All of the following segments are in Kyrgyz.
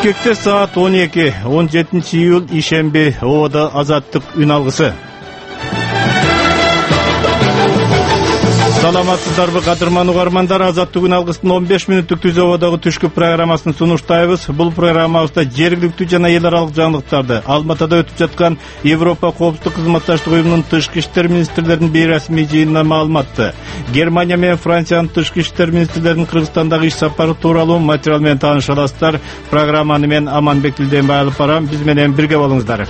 Бишкекте саат 12, 17 июль ишемби, ООД азаттык үн алгысы. Саламатсыздарбы кадырман угармандар, азаттык үн алгыстын 15 мүнөттүк түз ООДогу түшкү программасын сунуштайбыз. Бул программабызда жергиликтүү жана эл аралык жаңылыктарды, Алматыда өтүп жаткан Европа коопсуздук кызматташтык уюмунун тышкы иштер министрлеринин бейресмий жыйынынан маалыматты. Германия менен Франциянын тышкы иштер министрлеринин Кыргызстандагы иш сапары тууралуу материал менен тааныша аласыздар. Программаны мен Аманбек Тилденбай алып барам. Биз менен бирге болуңуздар.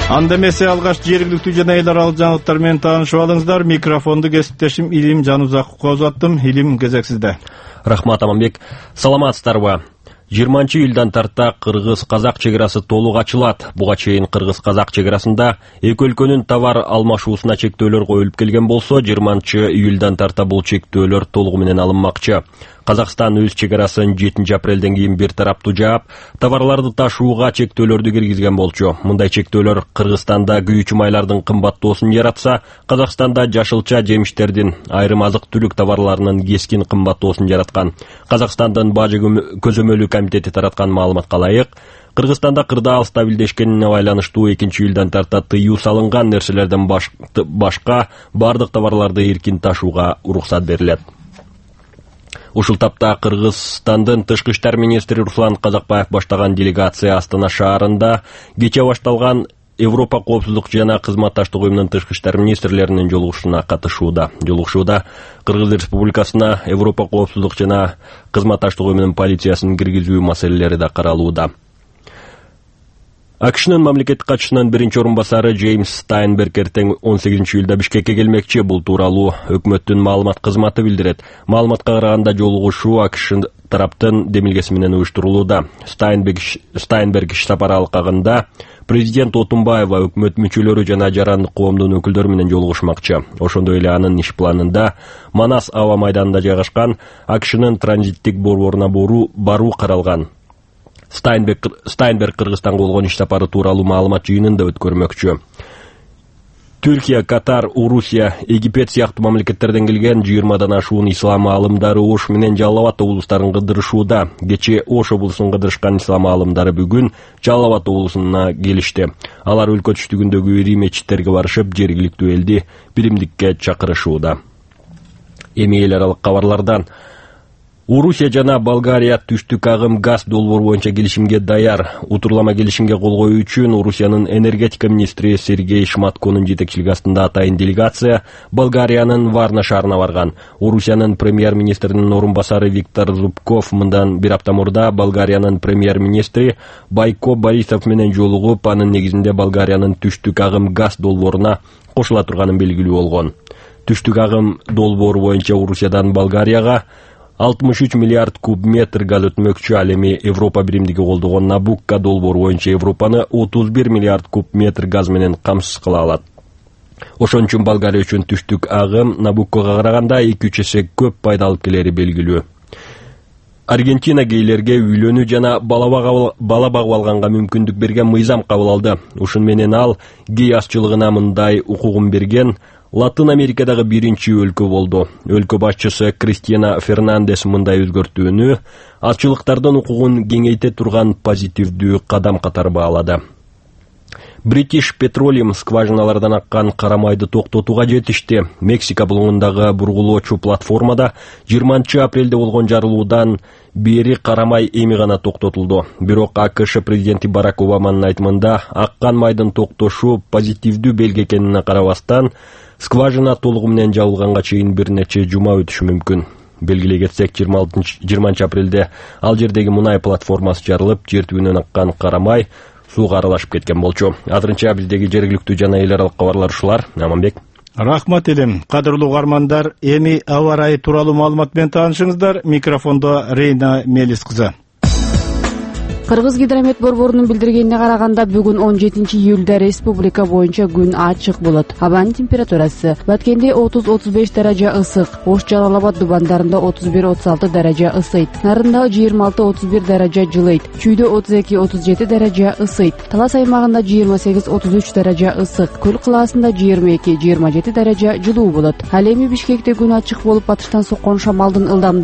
Анда эмесе алгаш жергиликтүү жана эл аралык жаңылыктар менен таанышып алыңыздар. Микрофонду кесиптешим Илим Жанузаковго узаттым. Илим, кезек сизде. Рахмат, Аманбек. Саламатсыздарбы? 20 июлдан тарта кыргыз-казак чек арасы толук ачылат. Буга чейин кыргыз-казак чек арасында эки өлкөнүн товар алмашуусуна чектөөлөр коюлуп келген болсо, 20 июлдан тарта бул чектөөлөр толугу менен алынмакчы. Казакстан өз чек арасын 7 апрелден кийин бир тараптуу жаап, товарларды ташууга чектөөлөрдү киргизген болчу. Мындай чектөөлөр Кыргызстанда күйүүчү майлардын кымбаттоосун яратса, Казакстанда жашылча жемиштердин, айрым азык-түлүк товарларынын кескин кымбаттоосун жараткан. Казакстандын Бажы көзөмөлү комитети тараткан маалыматка ылайык, Кыргызстанда кырдаал стабилдешкенине байланыштуу 2 июлдан тарта тыюу салынган нерселерден башка бардык товарларды эркин ташууга уруксат берилет. Ушул тапта Кыргызстандын тышкы иштер министри Руслан Казакбаев баштаган делегация Астана шаарында кече башталган Европа коопсуздук жана кызматташтык уюмунун тышкы иштер министрлеринин жолугушууна катышууда. Жолугушууда Кыргыз Республикасына Европа коопсуздук жана кызматташтык уюмунун полициясын киргизүү маселелери да каралууда. АКШнын мамлекеттик катчысынын биринчи орун басары Джеймс Стайнберг эртең 18 июлда Бишкекке келмекчи. Бул тууралуу өкмөттүн маалымат кызматы билдирет. Маалыматка караганда жолугушуу АКШ тараптын демилгеси менен уюштурулууда. Стайнберг иш сапары алкагында президент Отунбаева, өкмөт мүчөлөрү жана жарандык коомдун өкүлдөрү менен жолугушмакчы. Ошондой эле анын иш планында Манас аба майданында жайгашкан АКШнын транзиттик борборуна баруу каралган. Стайнберг Кыргызстанга болгон иш сапары тууралуу маалымат жыйынын да өткөрмөкчү. Түркия, Катар, Орусия, Египет сыяктуу мамлекеттерден келген 20дан ашуун ислам аалымдары Ош менен Жалал Абад облустарын кыдырышууда. Кече Ош облусун кыдырышкан ислам аалымдары бүгүн Жалал Абад облусуна келишти. Алар өлкө түштүгүндөгү ири мечиттерге барышып, жергиликтүү элди биримдикке чакырышууда. Эми эл аралык кабарлардан. Орусия жана Болгария түштүк агым газ долбоор боюнча келишимге даяр. Утурлама келишимге кол коюу үчүн Орусиянын энергетика министри Сергей Шматконун жетекчилиги астында атайын делегация Болгариянын Варна шаарына барган. Орусиянын премьер-министринин орун басары Виктор Зубков мындан бир апта мурда Болгариянын премьер-министри Байко Борисов менен жолугуп, анын негизинде Болгариянын түштүк агым газ долбооруна кошула турганын белгилүү болгон. Түштүк агым долбоору боюнча Орусиядан Болгарияга 63 миллиард куб метр газ өтмөкчү. Ал эми Европа биримдиги колдогон Набукко долбоору боюнча Европаны 31 миллиард куб метр газ менен камсыз кыла алат. Ошон үчүн Болгария үчүн түштүк агым Набуккого караганда 2-3 эсе көп пайда алып келери белгилүү. Аргентина гейлерге үйлөнүү жана бала багып алганга мүмкүндүк берген мыйзам кабыл алды. Ушун менен ал гей азчылыгына мындай укугун берген Латын Америкадагы биринчи өлкө болду. Өлкө башчысы Кристина Фернандес мындай өзгөртүүнү азчылыктардын укугун кеңейте турган позитивдүү кадам катары баалады. British Petroleum скважиналардан аккан карамайды токтотууга жетишти. Мексика булуңундагы бургулоочу платформада 20 апрелде болгон жарылуудан бери карамай эми гана токтотулду. Бирок АКШ президенти Барак Обаманын айтымында аккан майдын токтошу позитивдүү белги экенине карабастан, скважина толугу менен жабылганга чейин бир нече жума өтүшү мүмкүн. Белгилей кетсек, 20 апрелде ал жердеги мунай платформасы жарылып, жер түбүнөн аккан карамай сууга аралашып кеткен болчу. Азырынча биздеги жергиликтүү жана эл аралык кабарлар ушулар. Аманбек. Рахмат Элим. Кадырлуу угармандар, эми аба ырайы тууралуу маалымат менен таанышыңыздар. Микрофондо Рейна Мелис кызы. Кыргыз гидромет борборунун билдиргенине караганда бүгүн 17 июлда республика боюнча күн ачык болот. Абанын температурасы Баткенде 30-35 даража ысык, Ош Жалал Абад дубандарында 31-36 даража ысыйт, Нарында 26-31 даража жылыйт, Чүйдө 32-37 даража ысыйт, Талас аймагында 28-33 даража ысык, Көл кылаасында 22-27 даража жылуу болот. Ал эми Бишкекте күн ачык болуп, батыштан соккон шамалдын ылдамдыгы